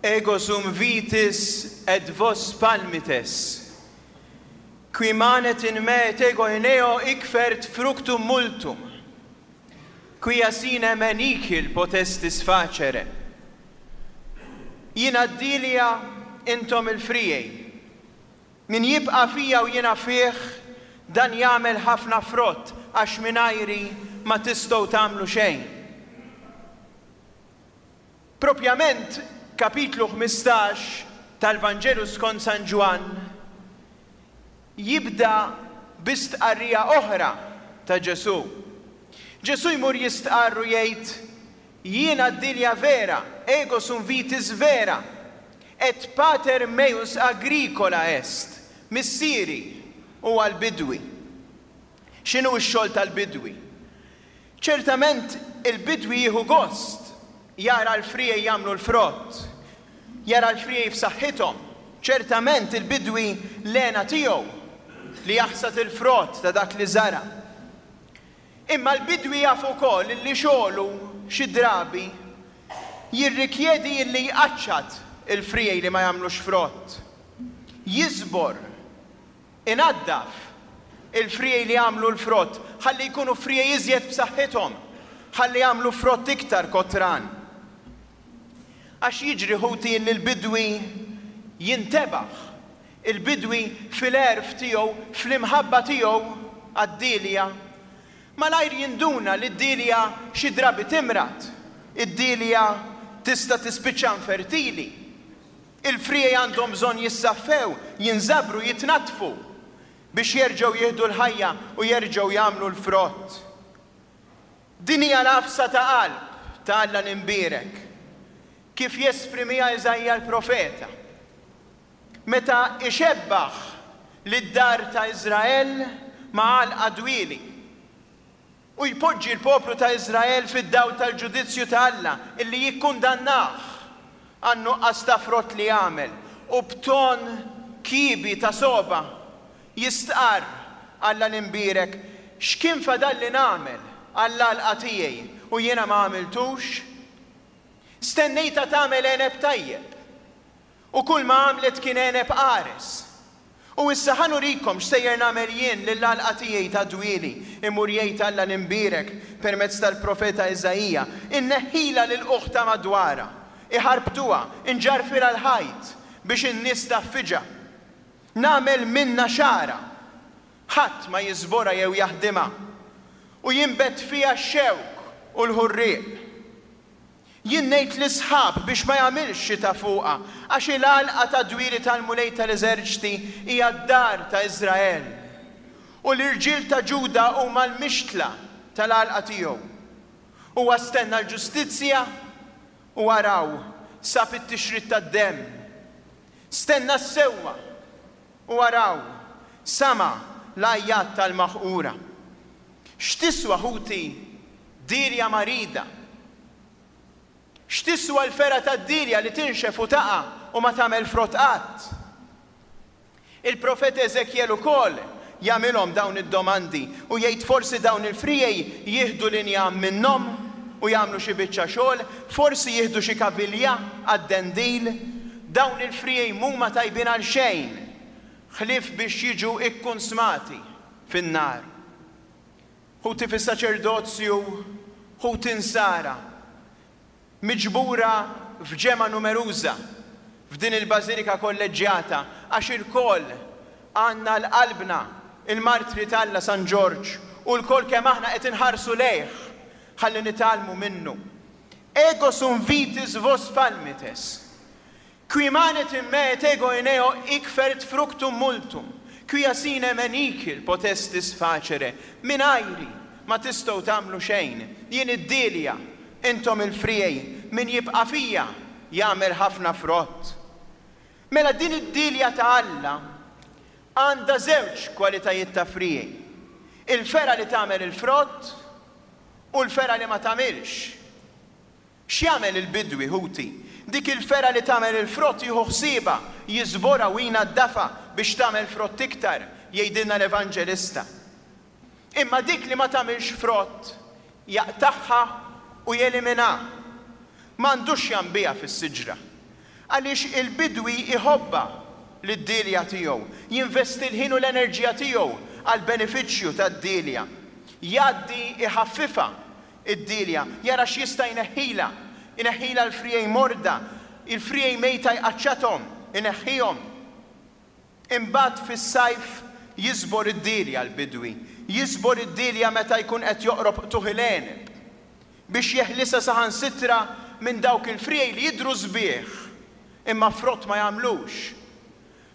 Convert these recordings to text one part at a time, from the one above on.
Ego sum vitis et vos palmites. Qui manet in me et ego in eo hic fert fructum multum. Quia sine me nihil potestis facere. Jiena d-dielja, intom il-friegħi. Min jibqa' fija u jiena fih, dan jagħmel ħafna frott, għax mingħajri ma tistgħu tagħmlu xejn. Propjament kapitlu 15 tal-Vanġelu skont San Ġwann jibda bi stqarrija oħra ta' Ġesù. Ġesù jmur jistqarr u jgħid, Jiena d-dielja vera, ego sum vitis vera, et pater meus agricola est, Missieri huwa l-bidwi. X'inhu x-xogħol tal-bidwi? Ċertament il-bidwi jieħu gost jara l-friegħi jagħmlu l-frott, jara l-friegħi f'saħħithom. Ċertament il-bidwi l-hena tiegħu li jaħsad il-frott ta' dak li żara'. Imma l-bidwi jaf ukoll illi xogħlu xi drabi jirrikjedi illi jqaċċat il-friegħi li ma jagħmlux frott, jiżbor, inaddaf il-friegħi li jagħmlu l-frott ħalli jkunu friegħi iżjed b'saħħithom, ħalli jagħmlu frott iktar kotran. Għax jiġri ħuti illi l-bidwi jintebaħ, il-bidwi fil-għerf tiegħu, fl-imħabba tiegħu għad-dielja, malajr jinduna li d-dielja xi drabi timrad, id-dielja tista' tispiċċa infertili. Il-friegħi għandhom bżonn jissaffew, jinżabru, jitnaddfu biex jerġgħu jieħdu l-ħajja u jerġgħu jagħmlu l-frott. Din hija l-għafsa ta' qalb ta' Alla l-Imbierek, kif jesprimiha Iżaija l-profeta, meta ixebbaħ lid-dar ta' Iżrael ma' għalqa dwieli, u jpoġġi l-poplu ta' Iżrael fid-dawl tal-ġudizzju ta' Alla illi jikkundannah għan-nuqqas ta' frott li għamel, u b'ton kiebi ta' sogħba Jistqarr, Alla l-Imbierek, x'kien fadalli nagħmel għall-għalqa tiegħi u jiena ma għamiltux? Stennejtha tagħmel għeneb tajjeb, u kulma għamlet kien għeneb qares. U issa ħa nurikom x'sejjer nagħmel jien lill-għalqa tiegħi tad-dwieli, imur jgħid Alla l-Imbierek permezz tal-profeta Iżaija, inneħħilha l-ilqugħ ta' madwarha, iħarbtuha, inġarrfilha l-ħajt, biex in-nies tgħaffiġha. Nagħmel minnha xagħra, ħadd ma jiżborha jew jaħdimha, u jinbet fiha x-xewk u l-ħurrieq. Jien ngħid lis-sħab biex ma jagħmilx xita fuqha, għax il-għalqa tad-dwieli tal-Mulej tal-eżerċti hija d-dar ta' Iżrael, u l-irġiel ta' Ġuda huma l-mixtla tal-għalqa tiegħu. Huwa stenna l-ġustizzja, u araw, sab it-tixrid tad-demm. Stenna s-sewwa, u araw, sama' l-għajjat tal-maħqura. X'tiswa, ħuti, dielja marida? X'tiswa l-fergħa tad-dielja li tinxef u taqa' u ma tagħmel frott qatt? Il-profeta Eżekjel ukoll jagħmilhom dawn id-domandi u jgħid forsi dawn il-friegħi jieħdu l-injam minnhom u jagħmlu xi biċċa xogħol, forsi jieħdu xi kavilja għad-dendil. Dawn il-friegħi m'huma tajbin għal xejn ħlief biex jiġu kkunsmati fin-nar. Ħuti fis-saċerdozju, ħuti Nsara, miġbura f'ġemgħa numeruża f'din il-Bażilika Kolleġġjata għax ilkoll għandna għal qalbna l-Martri t'Alla San Ġorġ u lkoll kemm aħna qed inħarsu lejh ħalli nitgħallmu minnu. Ego sum vitis vos palmites. Qui manet in me et ego in eo hic fert fructum multum, quia sine me nihil potestis facere, mingħajri ma tistgħu tagħmlu xejn, jien id-dielja, intom il-friegħi, min jibqa' fija jagħmel ħafna frott. Mela din id-dielja ta' Alla għandha żewġ kwalitajiet ta' friegħi, il-fergħa li tagħmel il-frott u l-fergħa li ma tagħmilx. X'jagħmel il-bidwi, ħuti? Dik il-fergħa li tagħmel il-frott jieħu ħsiebha, jiżborha u jnaddafha biex tagħmel frott iktar, jgħidilna l-Evanġelista. Imma dik li ma tagħmilx frott, jaqtagħha u jeliminha. M'għandux x'janbiha fis-siġra. Għaliex il-bidwi jħobbha lid-dielja tiegħu, jinvesti l-ħin u l-enerġija tiegħu għall-benefiċċju tad-dielja. Jgħaddi jħaffifha d-dielja, jara x'jista' jneħħilha, ineħħilha l-friegħi morda, il-friegħi mejta jqaċċathom, ineħħihom. Imbagħad fis-sajf jiżbor id-dielja l-bidwi, jiżbor id-dielja meta jkun qed joqrob qtugħ il-għeneb, biex jeħlisha saħansitra minn dawk il-friegħi li jidhru sbieħ imma frott ma jagħmlux.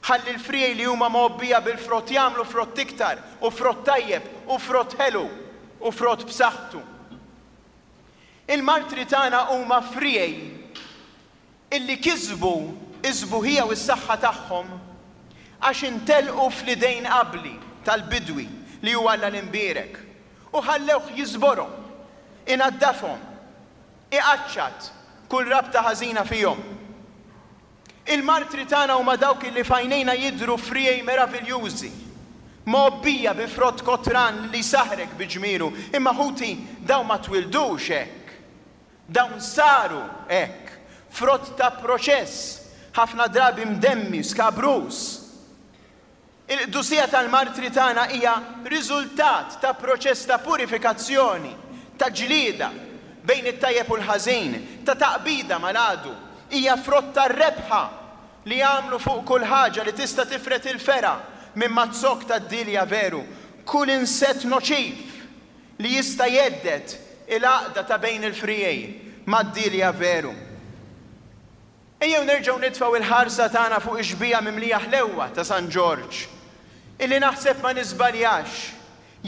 Ħalli l-friegħi li huma mgħobbija bil-frott jagħmlu frott iktar, u frott tajjeb, u frott ħelu, u frott b'saħħtu. Il-martri tagħna huma friegħi illi kisbu s-sbuħija u s-saħħa tagħhom għax intelqu fl-idejn abbli tal-Bidwi li hu Alla l-Imbierek, u ħallewh jiżborhom, inaddafhom, iqaċċat kull rabta ħażina fihom. Il-martri tagħna huma dawk illi f'għajnejna jidhru friegħi meraviljużi, mgħobbija bi frott kotran li jsaħħrek bi ġmielu, imma ħuti, dawn ma twildux hekk. Dawn saru hekk, frott ta' proċess, ħafna drabi mdemmi, skabruż. Il-qdusija tal-martri tagħna hija riżultat ta' proċess ta' purifikazzjoni, ta' ġlieda bejn it-tajjeb u l-ħażin, ta' taqbida mal-għadu. Hija frott tar-rebħa li għamlu fuq kull ħaġa li tista' tifred il-fergħa minn maz-zokk tad-dielja veru, kull insett noċiv li jista' jhedded il-għaqda ta' bejn il-friegħi mad-dielja veru. Ejjew nerġgħu nitfgħu il-ħarsa tagħna fuq ix-xbieha mimlija ħlewwa ta' San Ġorġ, illi naħseb ma niżbaljax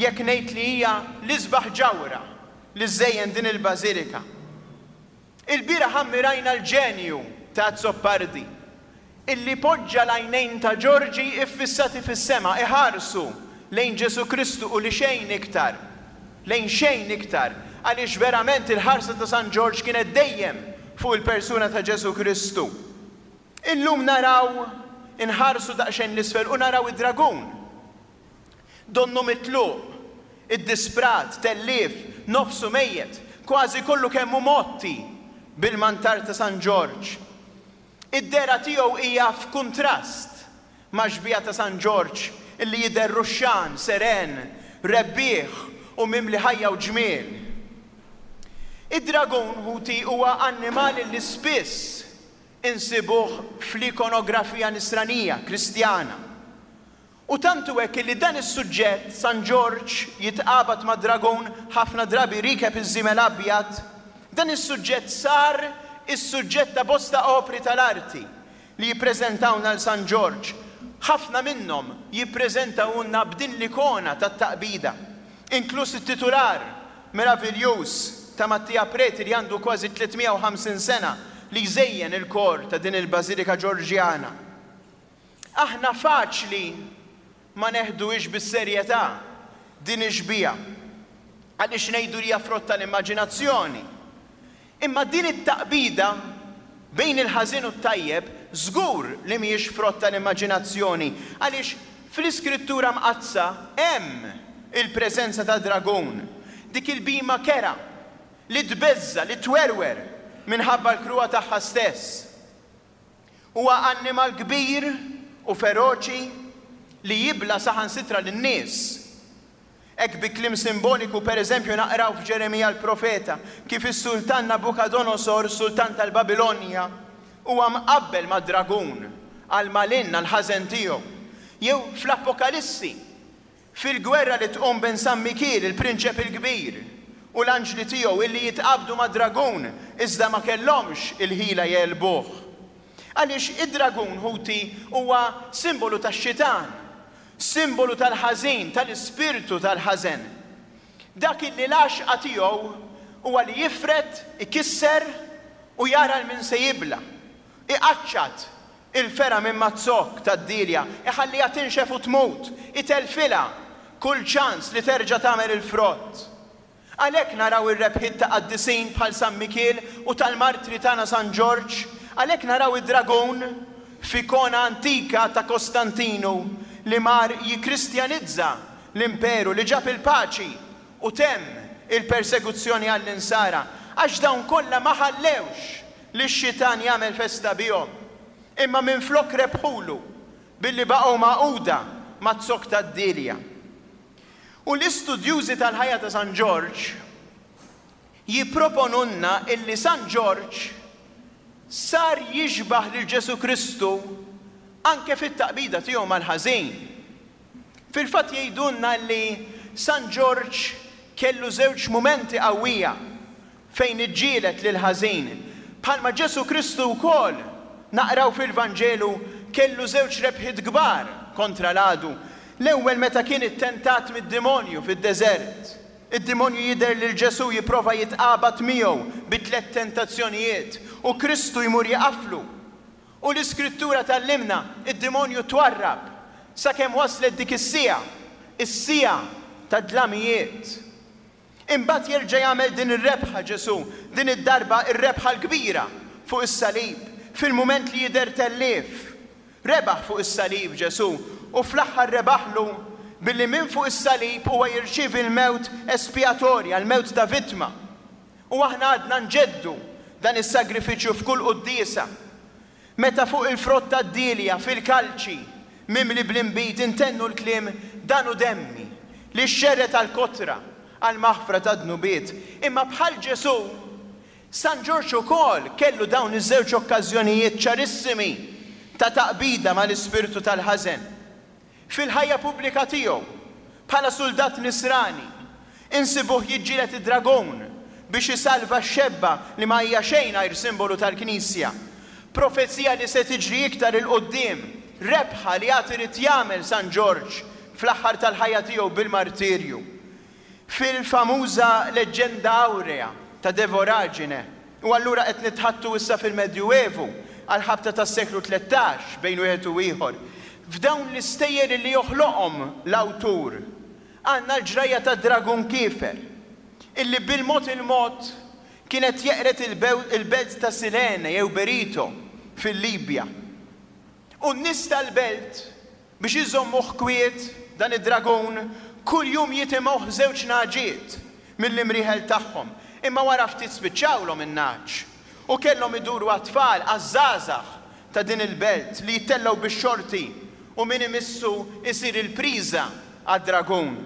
jekk ngħid li hija l-isbaħ ġawhra li żżejjen din il-bażilika. Ilbieraħ ammirajna l-ġenju ta' Azzopardi, illi poġġa l-għajnejn ta' Ġorġi iffissati fis-sema, iħarsu lejn Ġesù Kristu u li xejn iktar, lejn xejn iktar, għaliex verament il-ħarsa ta' San Ġorġ kienet dejjem fuq il-persuna ta' Ġesù Kristu. Illum naraw, inħarsu daqsxejn 'l isfel u naraw id-dragun. Donnu mitluq, iddisprat, tellief, nofsu mejjet, kważi kollu kemm hu mgħotti bil-mantar ta' San Ġorġ. Id-dehra tiegħu hija f'kuntrast max-xbieha ta' San Ġorġ li jidher ruxxan, seren, rebbieħ u mimli ħajja u ġmiel. Id-dragun, ħuti, huwa annimal li spiss insibuh fl-ikonografija nisranija, Kristjana. U tant hu hekk illi dan is-suġġett, San Ġorġ jitqabad mad-dragun, ħafna drabi riekeb iż-żiemel abjad, dan is-suġġett sar is-suġġett ta' bosta opri tal-arti li jippreżentawna 'l San Ġorġ. Ħafna minnhom jippreżentawulna b'din l-ikona tat-taqbida, inkluż it-titular meraviljuż ta' Mattia Preti li għandu kważi 350 sena li jżejjen il-kor ta' din il-Bażilika Ġorġjana. Aħna faċli ma neħduhiex bis-serjetà din ix-xbieha għaliex ngħidu li hija frott tal-immaġinazzjoni. Imma din it-taqbida bejn il-ħażin u t-tajjeb żgur li mhijiex frott tal-immaġinazzjoni għaliex fl-Iskrittura Mqaddsa hemm il-preżenza tad-dragun, dik il-bhima kerha li tbeżża', li twerwer minħabba l-kruha tagħha stess. Huwa annimal kbir u feroċi li jibla' saħansitra lin-nies. Hekk bi kliem simboliku, per eżempju, naqraw f'Ġeremija l-profeta kif is-sultan Nabukadonosor, sultan tal-Babilonja, huwa mqabbel ma' dragun għall-malinn, għall-ħażen tiegħu. Jew fl-Apokalissi, Fil-gwerra li tqum bejn San Mikiel, il-prinċep il-kbir, u l-anġli tiegħu illi jitqabdu mad-dragun iżda ma kellhomx il-ħila jegħlbuh. Għaliex id-dragun, ħuti, huwa simbolu tax-xitan, simbolu tal-ħażin, tal-ispirtu tal-ħażen. Dak illi l-għaxqa tiegħu huwa li jifred, ikisser u jara 'l min se jibla', iqaċċat Il-fergħa minn maz-zokk tad-dielja iħalliha tinxef u tmut, itellfilha kull ċans li terġa' tagħmel il-frott. Għalhekk naraw ir-rebħiet ta' qaddisin bħal San Mikiel u tal-martri tagħna San Ġorġ, għalhekk naraw id-dragun f'ikona antika ta' Kostantinu li mar jikkristjanizza l-imperu li ġab il-paċi u temm il-persekuzzjoni għall-Insara, għax dawn kollha ma ħallewx lix-xitan jagħmel festa bihom. Imma minflok rebħulu billi baqgħu magħquda maz-zokk tad-dielja. U l-istudjużi tal-ħajja ta' San Ġorġ jipproponulna illi San Ġorġ sar jixbah lil Ġesù Kristu anke fit-taqbida tiegħu mal-ħażin. Fil-fatt jgħidulna li San Ġorġ kellu żewġ mumenti qawwija fejn iġġieled lill-ħażin, bħalma Ġesù Kristu wkoll, naqraw fil-Vanġelu, kellu żewġ rebħiet kbar kontra l-għadu. L-ewwel meta kien ittentat mid-dimonju fid-deżert. Id-dimonju jidher lil Ġesù jipprova jitqabad miegħu bi tlett tentazzjonijiet u Kristu jmur jiqaflu. U l-Iskrittura tgħallimna, id-dimonju twarrab sakemm waslet dik is-siegħa, is-siegħa tad-dlamijiet. Imbagħad jerġa' jagħmel din ir-rebħa Ġesù, din id-darba r-rebħa l-kbira fuq is-salib, fil-mument li jidher tellief. Rebaħ fuq is-salib Ġesù, u fl-aħħar rebaħlu billi minn fuq is-salib huwa jirċievi l-mewt espjatorja, l-mewt ta' vittma. U aħna għadna nġeddu dan is-sagrifiċċju f'kull quddiesa, meta fuq il-frott tad-dielja fil-kalċi mimli bl-inbid intennu l-kliem Dan hu demmi, li xxerred għall-kotra, għall-maħfra tad-dnubiet. Imma bħal Ġesù, San Ġorġ ukoll kellu dawn iż-żewġ okkażjonijiet ċarissimi ta' taqbida mal-ispirtu tal-ħażen. Fil-ħajja pubblika tiegħu, bħala suldat Nisrani, insibuh jiġġieled id-dragun biex isalva x-xebba li ma hija xejn għajr simbolu tal-Knisja. Profezija li se tiġri iktar 'il quddiem, rebħa li għad irid jagħmel San Ġorġ fl-aħħar tal-ħajja tiegħu bil-martirju. Fil-famuża Leggenda Aurea ta' De Voragine, u allura qed nitħaddtu issa fil-Medjuevu, għall-ħabta tas-seklu 13, bejn wieħed u ieħor, f'dawn l-istejjer li joħloqhom l-awtur, għandna l-ġrajja tad-dragun kiefer, illi bil-mod il-mod kien qed jeqred il-belt ta' Silene jew Berito fil-Libja. U n-nies tal-belt, Biex iżommuh kwiet, dan id-dragun, kuljum jitimgħuh żewġ nagħġiet mill-imrieħel tagħhom. Imma wara ftit spiċċawlhom in-nagħaġ, u kellhom iduru għat-tfal, għaż-żgħażagħ ta' din il-belt li jittellgħu bix-xorti u min imissu jsir il-priża għad-dragun.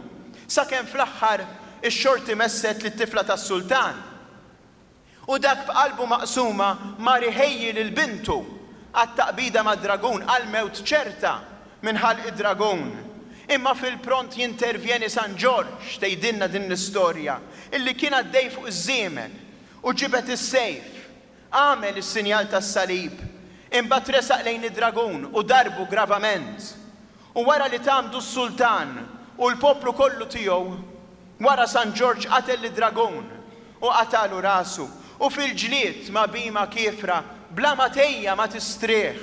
Sakemm fl-aħħar ix-xorti messet lit-tifla tas-sultan. U dak b'qalbu maqsuma mar iħejji lil bintu għat-taqbida mad-dragun, għall-mewt ċerta minn ħalq id-dragun. Imma fil-pront jintervjeni San Ġorġ, tgħidilna din l-istorja, illi kien għaddej fuq iż-żiemel u ġibed is-sejf, għamel is-sinjal tas-salib, imbagħad resaq lejn id-dragun u darbu gravament. U wara li tgħammdu s-sultan u l-poplu kollu tiegħu, wara San Ġorġ qatel lid-dragun u qatagħlu rasu, u fil-ġlied ma' bhima kiefra bla ma tgħejja ma tistrieħ,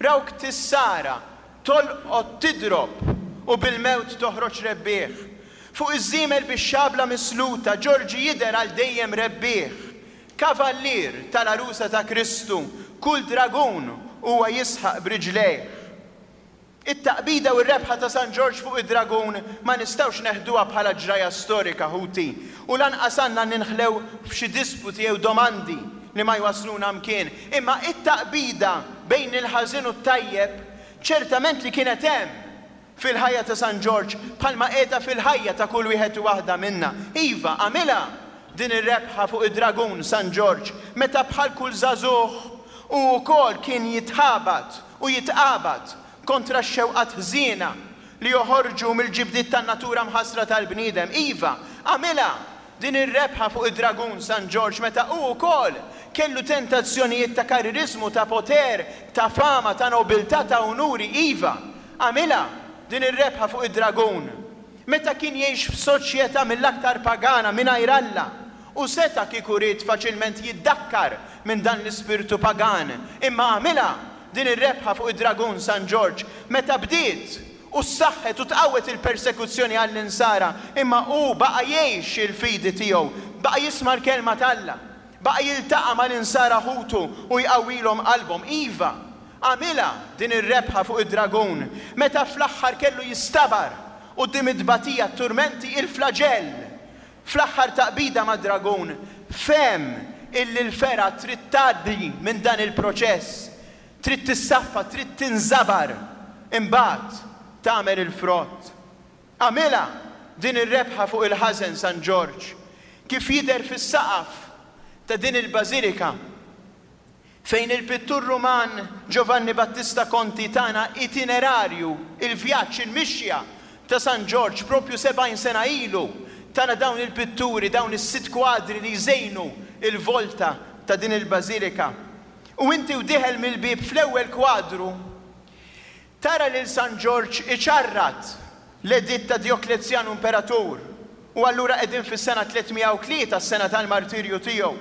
rawk tissara, tolqot tidrob u bil-mewt toħroġ rebbieħ. Fuq iż-żiemel bix-xabla misluta Ġorġi jidher għal dejjem rebbieħ, kavallier tal-għarusa ta' Kristu, kull dragun huwa jisħaq b'riġlejh. It-taqbida u r-rebħa ta' San Ġorġ fuq id-dragun ma nistgħux neħduha bħala ġrajja storika, ħuti, u lanqas għandna ninħlew f'xi disputi jew domandi li ma jwassluna mkien. Imma it-taqbida bejn il-ħażin u t-tajjeb ċertament li kienet hemm fil-ħajja ta' San Ġorġ bħalma qiegħda fil-ħajja ta' kull wieħed u waħda minna. Iva, għamilha din ir-rebħa fuq id-dragun San Ġorġ meta bħal kull żagħżugħ hu wkoll kien jitħabat u jitqabad kontra x-xewqat ħżiena li joħorġu mill-ġibdiet tan-natura mħassra tal-bniedem. Iva, għamilha din ir-rebħa fuq id-dragun San Ġorġ meta hu wkoll kellu tentazzjonijiet ta' karririżmu, ta' poter, ta' fama, ta' nobiltà, ta' unuri. Iva, għamilha din ir-rebħa fuq id-dragun meta kien jgħix f'soċjetà mill-aktar pagana mingħajr Alla u seta' kieku ried faċilment jiddakkar minn dan l-ispirtu pagan, imma għamilha din ir-rebħa fuq id-dragun San Ġorġ meta bdiet u ssaħħet u tqawwet il-persekuzzjoni għall-Insara, imma hu baqa' jgħix il-fidi tiegħu, baqa' jisma' l-kelma t'Alla, baqa' jiltaqa' mal-Insara ħutu u jqawwilhom qalbhom. Iva, għamilha din ir-rebħa fuq id-dragun meta fl-aħħar kellu jistabar quddiem it-tbatija, t-turmenti, il-flaġell. Fl-aħħar taqbida mad-dragun, fehem illi l-fergħa trid tgħaddi minn dan il-proċess. Trid tissaffa, trid tinżabar, imbagħad tagħmel il-frott. Għamilha din ir-rebħa fuq il-ħażen San Ġorġ, kif jidher fis-saqaf ta' din il-bażilika, fejn il-pittur Ruman Giovanni Battista Conti tana itinerarju, il-vjaġġ, il-mixja ta' San Ġorġ proprju 70 sena ilu, tana dawn il-pitturi, dawn is-sitt kwadri li jżejnu l-volta ta' din il-bażilika. U inti u dieħel mill-bieb fl-ewwel kwadru, tara lil San Ġorġ iċarrat l-editt ta' Djoklezjanu Imperatur, u allura qegħdin fis-sena 303, s-sena tal-martirju tiegħu.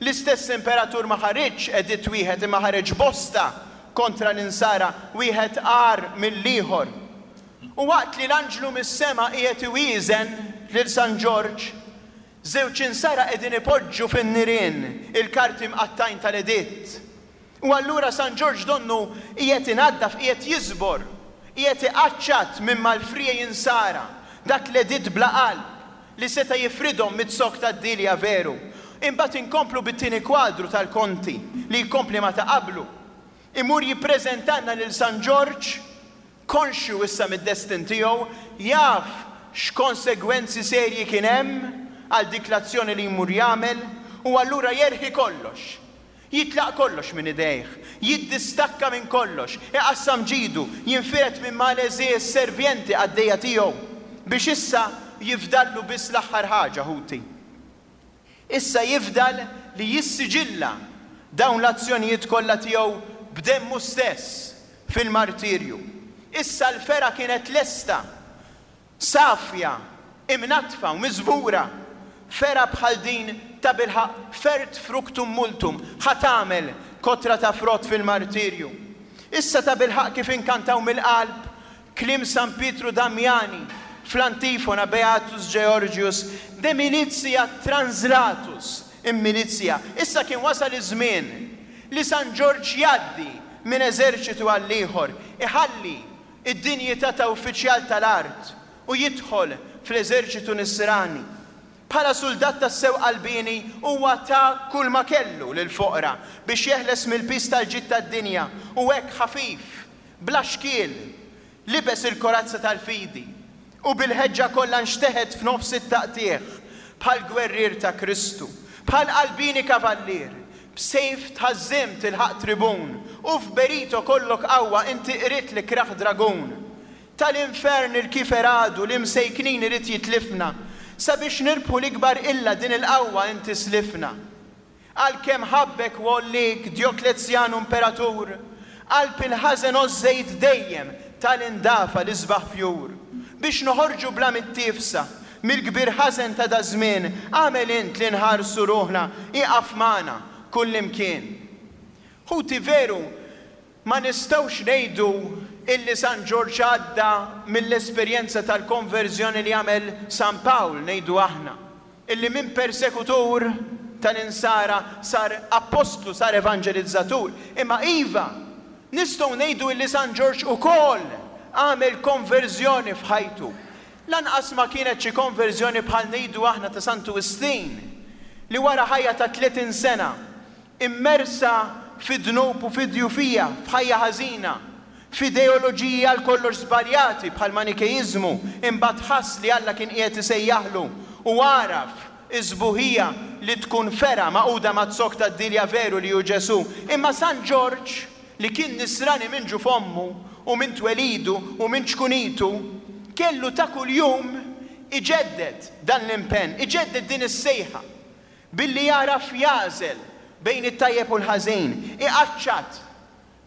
L-istess imperatur ma ħariġx editt wieħed imma ħareġ bosta kontra l-Insara, wieħed agħar mill-ieħor. U waqt li l-anġlu mis-sema qiegħed iwieżen lil San Ġorġ, Żewġ insara qegħdin ipoġġu fin-nirien il-karti mqattgħin tal-editt. U allura San Ġorġ donnu qiegħed inaddaf, qiegħed jiżbor, qiegħed iqaċċat minn mal-friegħi insara dak l-editt bla qalb li seta' jifridhom miz-zokk tad-dielja veru. Imbagħad inkomplu bit-tieni kwadru tal-Konti li jkompli ma' ta' qablu. Imur jippreżentalna lil San Ġorġ Konxju issa mid-destin tiegħu, jaf x'konsegwenzi serji kien hemm għal dik l-azzjoni li jmur jagħmel u allura jerħi kollox. Jitlaq kollox minn idejh, jiddistakka minn kollox, iqassam ġidu, jinfired minn mal-għeżież servjenti qaddejja tiegħu, biex issa jifdallu biss l-aħħar ħaġa, ħuti. Issa jifdal li jissiġilla dawn l-azzjonijiet kollha tiegħu b'demmu stess fil-martirju. Issa l-fergħa kienet lesta, safja, imnaddfa u miżbura. Fergħa bħal din tabilħaqq fert fructum multum, ħa tagħmel kotra ta' frott fil-martirju. Issa tabilħaqq kif inkantaw mill-qalb Kliem San Pietru Damiani fl-antifona Beatus Georgius de militia translatus in militia, issa kien wasal iż-żmien li San Ġorġ jgħaddi minn eżerċitu għall-ieħor, iħalli d-dinjità ta' uffiċjal tal-art u jidħol fl-eżerċitu nisrani. Bħala suldat tassew qalbieni huwa ta kull ma kellu lill-foqra biex jeħles mill-piż tal-ġid tad-dinja u hekk ħafif Bla xkiel, libes il-korazza tal-fidi, u bil-ħeġġa kollha nxteħet f'nofs it-taqtigħ, bħal gwerrier ta' Kristu, bħal qalbieni kavallier, b'sejf tħażżimt ilħaqt tribun, u f'berito kollok qawwa inti qridt l-ikrah dragun. Tal-infern il-kiefer għadu li msejknin irid jitlifna, sabiex nirbħu l-ikbar qilla din il-qawwa inti slifna. Għalkemm ħabbek u għolliek Djoklezjanu Imperatur, qalb il-ħażen għożżejt dejjem tal-indafa l-isbaħ fjur. Biex noħorġu bla mittiefsa mill-kbir ħażen ta' daż-żmien, agħmel int li nħarsu ruħna, ieqaf magħna kullimkien. Ħuti veru ma nistgħux ngħidu illi San Ġorġ għadda mill-esperjenza tal-konverżjoni li għamel San Pawl, ngħidu aħna, illi minn persekutur tal-Insara sar appostlu, sar evanġelizzatur. Imma iva, nistgħu ngħidu illi San Ġorġ ukoll għamel konverżjoni f'ħajtu. Lanqas ma kienet xi konverżjoni bħal ngħidu aħna ta' Santu Wistin, li wara ħajja ta' 30 sena, immersa fid-dnub u fid-djufija, f'ħajja ħażina, f'ideoloġiji għal kollox żbaljati bħall-Manikeiżmu, imbagħad ħass li Alla kien qiegħed isejjaħlu u għaraf is-sbuħija li tkun fergħa magħquda maz-zokk tad-dielja veru li hu Ġesù. Imma San Ġorġ, li kien Nisrani minn ġuf ommu u minn twelidu u minn ċkunitu, kellu ta' kuljum iġedded dan l-impenn, iġedded din is-sejħa. Billi jagħraf jagħżel bejn it-tajjeb u l-ħażin, iqaċċat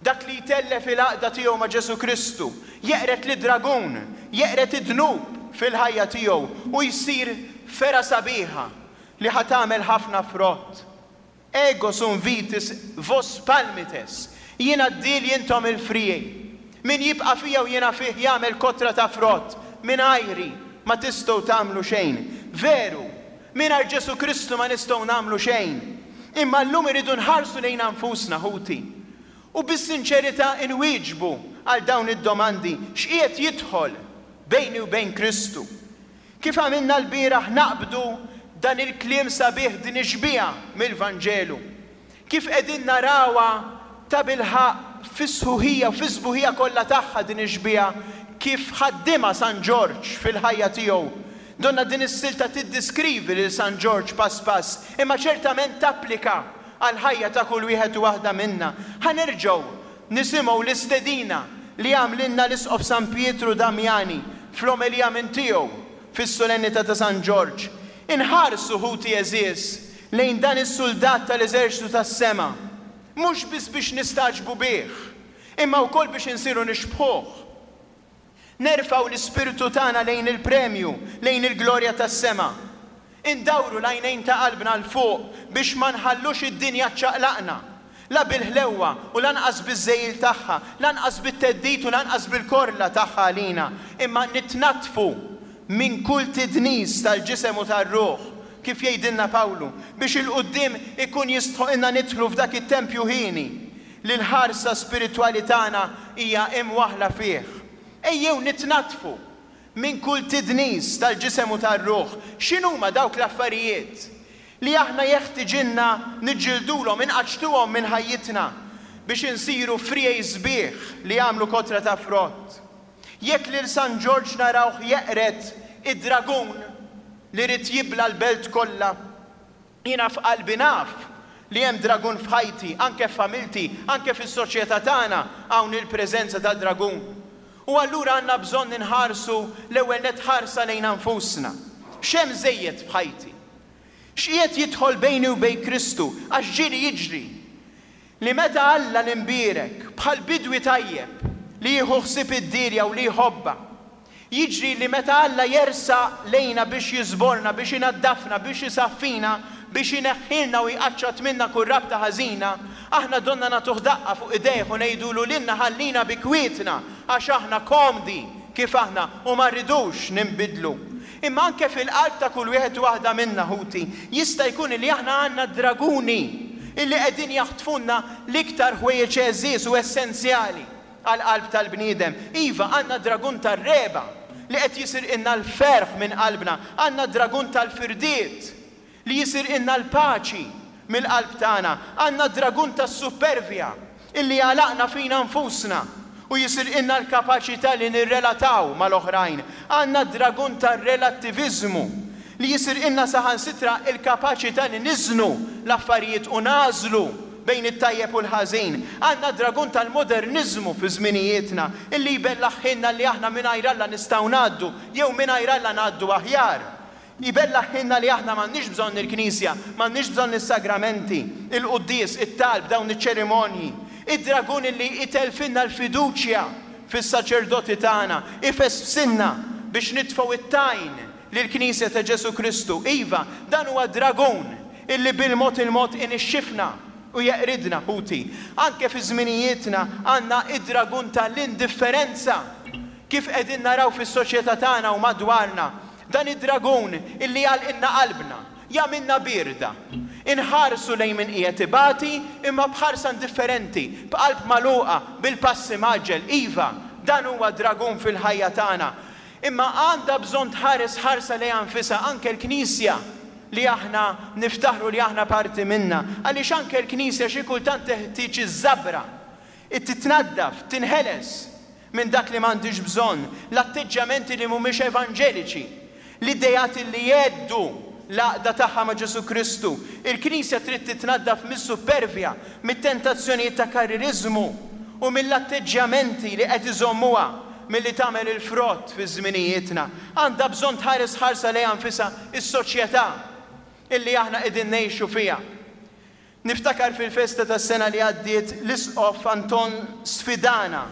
dak li jtellef il-għaqda tiegħu ma' Ġesù Kristu, jeqred lid-dragun, jeqred id-dnub fil-ħajja tiegħu u jsir fergħa sabiħa li ħa tagħmel ħafna frott. Ego sum vitis, vos palmites, Jiena d-dielj intom il-friegħi. Min jibqa' fija u jiena fih jagħmel kotra ta' frott, mingħajri ma tistgħu tagħmlu xejn. Veru, mingħajr Ġesù Kristu ma nistgħu nagħmlu xejn. Imma llum irridu nħarsu lejna nfusna, ħuti, u bis-sinċerità inwieġbu għal dawn id-domandi, x'qiegħed jidħol bejni u bejn Kristu? Kif għamilna lbieraħ naqbdu dan il-kliem sabiħ din ix-xbieha mill-Vanġelu. Kif qegħdin narawha tabilħaqq fis-sħuħija u fis-sbuħija kollha tagħha din ix-xbieha kif ħaddimha San Ġorġ fil-ħajja tiegħu. Donnha din is-silta tiddiskrivi lil San Ġorġ pass pass, imma ċertament tapplika għall-ħajja ta' kull wieħed u waħda minna. Ħa nerġgħu nisimgħu l-istedina li għamlilna l-Isqof San Pietru Damiani fl-omelija minn tiegħu fis-Solennità ta' San Ġorġ. Inħarsu, ħuti għeżież, lejn dan is-suldat tal-eżerċtu tas-sema, mhux biss biex nistagħġbu bih, imma wkoll biex insiru nixbħuh. Nerfgħu l-ispirtu tagħna lejn il-premju, lejn il-glorja tas-sema. Indawru l-għajnejn ta' qalbna 'l fuq biex ma nħallux id-dinja ċċaqlaqna, la bil-ħlewwa u lanqas biż-żegħil tagħha, lanqas bit-theddid u lanqas bil-korla tagħha għalina, imma nitnaddfu minn kull tidnis tal-ġisem u tar-ruħ, kif jgħidilna Pawlu, biex 'il quddiem ikun jistħoqilna nidħlu f'dak it-tempju hieni li l-ħarsa spiritwali tagħna hija imwaħħla fih. Ejjew nitnaddfu minn kull tidnis tal-ġisem u tar-ruħ. X'inhuma dawk l-affarijiet li aħna jeħtiġilna niġġildulhom, inqaċċtuhom minn ħajjitna biex insiru friegħi sbieħ li jagħmlu kotra ta' frott? Jekk lil San Ġorġ narawh jeqred id-dragun li ried jibla' l-belt kollha, jiena f'qalbi naf li hemm dragun f'ħajti, anke f'familti, anke fis-soċjetà tagħna hawn il-preżenza ta' dragun. U allura għandna bżonn inħarsu l-ewwel nett ħarsa lejna nfusna. X'hemm żejjed f'ħajti? X'qiegħed jidħol bejni u bejn Kristu? Għax ġieli jiġri li meta Alla l-Imbierek, bħal bidwi tajjeb li jieħu ħsieb id-dielja u li jħobbha, jiġri li meta Alla jersaq lejna biex jiżborna, biex inaddafna, biex isaffina, biex ineħħilna u jqaċċat minna kull rabta ħażina, aħna donna nagħtuh daqqa fuq idejh u ngħidulu lilna ħallina bi kwietna għax aħna komdi kif aħna u ma rridux ninbidlu. Imma anke fil-qalb ta' kull wieħed u waħda minna, ħuti, jista' jkun li aħna għandna d-draguni illi qegħdin jaħtfulna l-iktar ħwejjeġ għeżież u essenzjali għall-qalb tal-bniedem. Iva, għandna d-dragun tar-regħba li qed jisirqilna l-ferħ minn qalbna, għandna d-dragun tal-firdiet li jisirqilna l-paċi mill-qalb tagħna. Għandna d-dragun tas-suppervja illi jagħlaqna fina nfusna u jisirqilna l-kapaċità li nirrelataw mal-oħrajn. Għandna d-dragun tar-relattiviżmu li jisirqilna saħansitra l-kapaċità li niżnu l-affarijiet u nagħżlu bejn it-tajjeb u l-ħażin. Għandna d-dragun tal-moderniżmu fi żminijietna illi jbellaħħilna li aħna mingħajr Alla nistgħu ngħaddu jew mingħajr Alla ngħaddu aħjar. Jbellaħħilna li aħna m'għandniex bżonn il-Knisja, m'għandniex bżonn is-sagramenti, il-quddies, it-talb, dawn iċ-ċerimonji. Id-dragun illi itellfilna l-fiduċja fis-saċerdoti tagħna, ifesfsilna biex nitfgħu t-tajn lill-Knisja ta' Ġesù Kristu. Iva, dan huwa dragun illi bil-mod il-mod inixxifna u jeqridna, ħuti. Anke fi żminijietna għandna id-dragun ta' l-indifferenza, kif qegħdin naraw fis-soċjetà tagħna u madwarna. Dan id-dragun illi jagħlqilna qalbna, jagħmilna bierda. Inħarsu lejn min qiegħed ibati, imma b'ħarsa indifferenti, b'qalb magħluqa, bil-pass imgħaġġel. Iva, dan huwa dragun fil-ħajja tagħna. Imma għandha bżonn tħares ħarsa lejha nfisha anke l-Knisja li aħna niftaħru li aħna parti minnha. Għaliex anke l-Knisja xi kultant teħtieġ iż-żabra, titnaddaf, tinħeles. minn dak li m'għandhiex bżonn, l-atteġġjamenti li mhumiex evanġeliċi, l-ideat li jgħeddu l-għaqda tagħha ma' Ġesù Kristu. Il-Knisja trid titnaddaf mis-suppervja, mit-tentazzjonijiet ta' karririżmu u mill-atteġġjamenti li qed iżommuha milli tagħmel il-frott fi żminijietna. Għandha bżonn tħares ħarsa lejha nfisha s-soċjetà illi aħna qegħdin ngħixu fiha. Niftakar fil-festa tas-sena li għaddiet l-Isqof Anton sfidana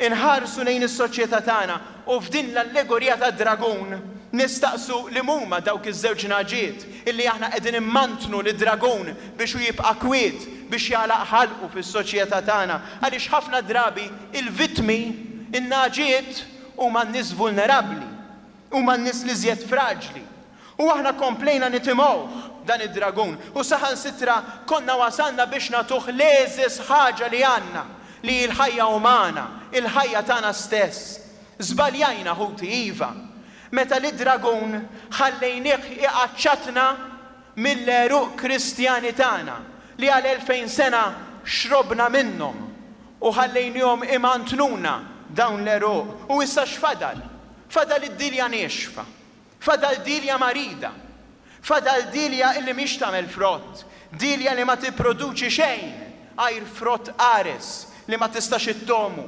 nħarsu lejn is-soċjetà tagħna u f'din l-allegorija tad-dragun nistaqsu liem huma dawk iż-żewġ nagħġiet illi aħna qegħdin immantnu lid-dragun biex hu jibqa' kwiet biex jagħlaq ħalqu fis-soċjetà tagħna għaliex ħafna drabi il-vittmi, in-nagħġiet, huma n-nies vulnerabbli. Huma n-nies l-iżjed fraġli. U aħna komplejna nitimgħuh dan id-dragun u saħansitra konna wasalna biex nagħtuh l-egħżeż ħaġa li għandna, li hi l-ħajja umana, il-ħajja tagħna stess. Żbaljajna, ħuti, iva, meta lid-dragun ħallejnih iqaċċatna mill-għeruq Kristjani tagħna li għal 2000 sena xrobna minnhom. U ħallejniehom imantnuna dawn l-għeruq. U issa x'fadal? Fadal id-dielja niexfa. Fadal dielja marida. Fadal dielja illi mhix tagħmel frott, dielja li ma tipproduċi xejn għajr frott qares li ma tistax ittomu,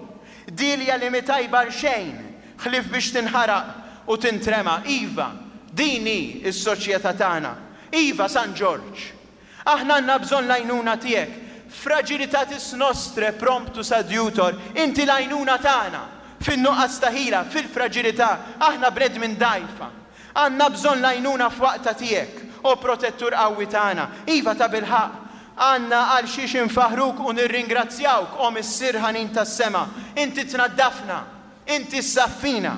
dielja li mhi tajba għal xejn ħlief biex tinħaraq u tintrema. Iva, din hi s-soċjetà tagħna. Iva, San Ġorġ. Aħna għandna bżonn l-għajnuna tiegħek. Fragilitatis nostrae promptus adiutor, inti l-għajnuna tagħna fin-nuqqas ta' ħila, fil-fraġilità, aħna bnedmin dgħajfa. Għandna bżonn l-għajnuna f'waqtha tiegħek, o Protettur qawwi tagħna. Iva, tabilħaqq, għandna għal xiex infaħħruk u nirringrazzjawk, o Missier ħanin tas-sema. Inti tnaddafna. Inti ssaffina.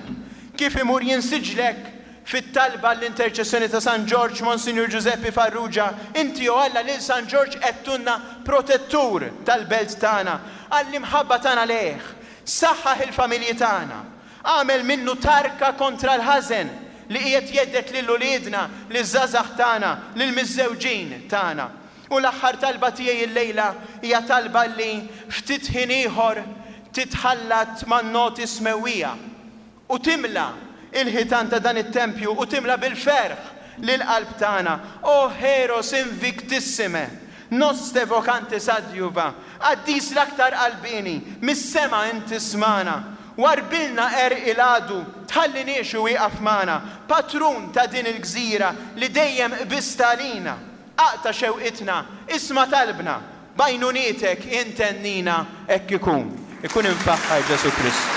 Kif imur jinsiġlek fit-talba għall-interċessjoni ta' San Ġorġ, Monsinjur Ġużeppi Farrugia, inti, o Alla, lil San Ġorġ għedtulna protettur tal-belt tagħna, għall-imħabba tagħna lejh. Saħħaħ il-familji tagħna. Agħmel minnu tarka kontra l-ħażen li qiegħed jhedded lil uliedna, liż-żgħażagħ tagħna, lill-miżżewġin tagħna. U l-aħħar talba tiegħi illejla hija talba li ftit ħin ieħor titħallat man-noti smewwija u timla l-ħitan ta' dan it-tempju u timla bil-ferħ lill-qalb tagħna. O Heros invictissime, noste vocantes adjuva, Qaddis l-aktar qalbieni, mis-sema int ismagħna. Warrbilna għerq il-għadu, tħalliniex iwieqaf magħna, Patrun ta' din il-gżira li dejjem qbist għalina. Aqta' xewqitna, isma' talbna, b'għajnunietek int għennina, hekk ikun. Ikun imfaħħar Ġesù Kristu.